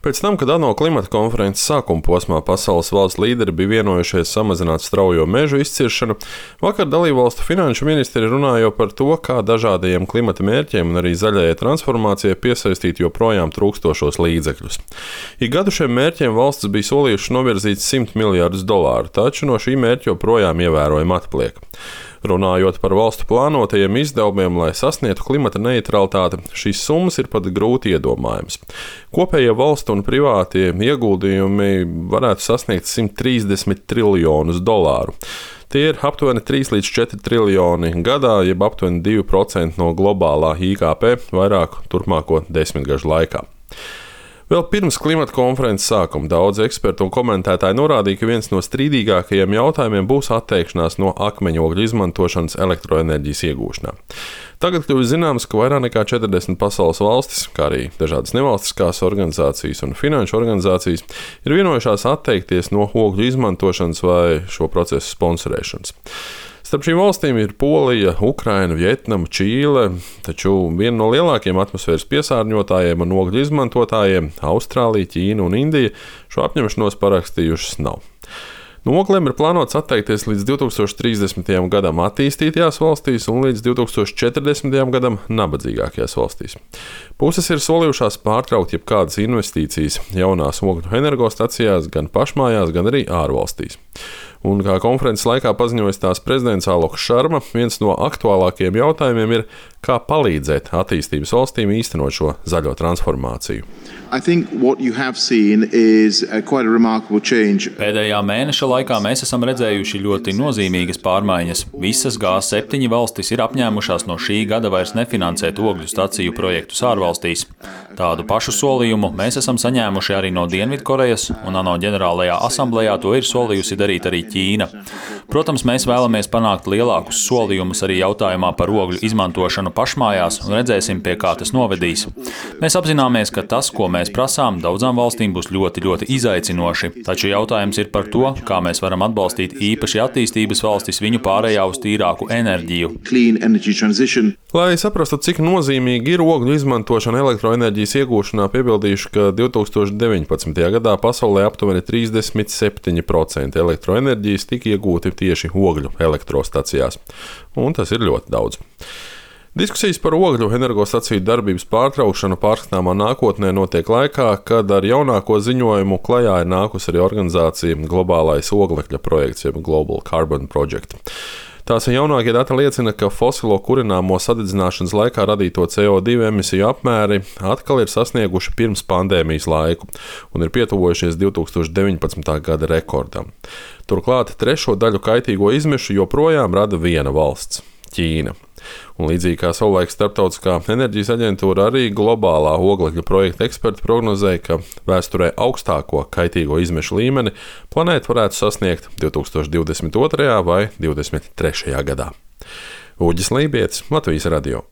Pēc tam, kad ANO klimata konferences sākuma posmā pasaules valstu līderi bija vienojušies samazināt straujo mežu izciršanu, vakar dalībvalstu finanšu ministri runāja par to, kā dažādajiem klimata mērķiem un arī zaļajai transformācijai piesaistīt joprojām trūkstošos līdzekļus. Ik gadu šiem mērķiem valstis bija solījušas novirzīt $100 miljardus, taču no šī mērķa joprojām ievērojami atpaliek. Runājot par valstu plānotajiem izdevumiem, lai sasniegtu klimata neitralitāti, šīs summas ir pat grūti iedomājamas. Kopējie valstu un privātie ieguldījumi varētu sasniegt $130 triljonus. Tie ir aptuveni 3 līdz 4 triljoni gadā, jeb aptuveni 2% no globālā IKP vairāku turpmāko 10 gažu laikā. Vēl pirms klimata konferences sākuma daudzi eksperti un komentētāji norādīja, ka viens no strīdīgākajiem jautājumiem būs atteikšanās no akmeņogļu izmantošanas elektroenerģijas iegūšanā. Tagad kļuvis zināms, ka vairāk nekā 40 pasaules valstis, kā arī dažādas nevalstiskās organizācijas un finanšu organizācijas, ir vienojušās atteikties no ogļu izmantošanas vai šo procesu sponsorēšanas. Starp šīm valstīm ir Polija, Ukraina, Vietnama, Čīle, taču viena no lielākajiem atmosfēras piesārņotājiem un ogļu izmantotājiem - Austrālija, Ķīna un Indija - šo apņemšanos parakstījušas nav. No oglēm ir plānots atteikties līdz 2030. gadam attīstītajās valstīs un līdz 2040. gadam nabadzīgākajās valstīs. Puses ir solījušās pārtraukt jebkādas investīcijas jaunās ogļu energostacijās gan pašmājās, gan arī ārvalstīs. Un kā konferences laikā paziņoja tās prezidents Aloks Šarma, viens no aktuālākajiem jautājumiem ir, kā palīdzēt attīstības valstīm īstenot šo zaļo transformāciju. Pēdējā mēneša laikā mēs esam redzējuši ļoti nozīmīgas pārmaiņas. Visas G7 valstis ir apņēmušās no šī gada vairs nefinansēt ogļu staciju projektus ārvalstīs. Tādu pašu solījumu mēs esam saņēmuši arī no Dienvidkorejas, un ANO ģenerālajā asamblejā to ir solījusi darīt arī Ķīna. Protams, mēs vēlamies panākt lielākus solījumus arī jautājumā par ogļu izmantošanu pašmājās un redzēsim, pie kā tas novedīs. Mēs apzināmies, ka tas, ko mēs prasām, daudzām valstīm būs ļoti, ļoti izaicinoši, taču jautājums ir par to, kā mēs varam atbalstīt īpaši attīstības valstis viņu pārējā uz tīrāku enerģiju. Lai saprastu, cik nozīmīgi ir ogļu izmantošana elektroenerģijas iegūšanā, piebildīšu, ka 2019. gadā pasaulē aptuveni 37% elektroenerģijas tika iegūti tieši ogļu elektrostacijās, un tas ir ļoti daudz. Diskusijas par ogļu energostaciju darbības pārtraukšanu pārskatāmā nākotnē notiek laikā, kad ar jaunāko ziņojumu klajā ir nākusi arī organizācija Globālais oglekļa projekts, jeb Global Carbon Project. Tās jaunākie dati liecina, ka fosilo kurināmo sadedzināšanas laikā radīto CO2 emisiju apmēri atkal ir sasnieguši pirms pandēmijas laiku un ir pietuvojušies 2019. gada rekordam. Turklāt trešo daļu kaitīgo izmešu joprojām rada viena valsts - Ķīna. Un līdzīgi kā savulaik Starptautiskā enerģijas aģentūra, arī globālā oglekļa projekta eksperti prognozēja, ka vēsturē augstāko kaitīgo izmešu līmeni planēta varētu sasniegt 2022. vai 2023. gadā. Uģis Lībietis, Latvijas radio.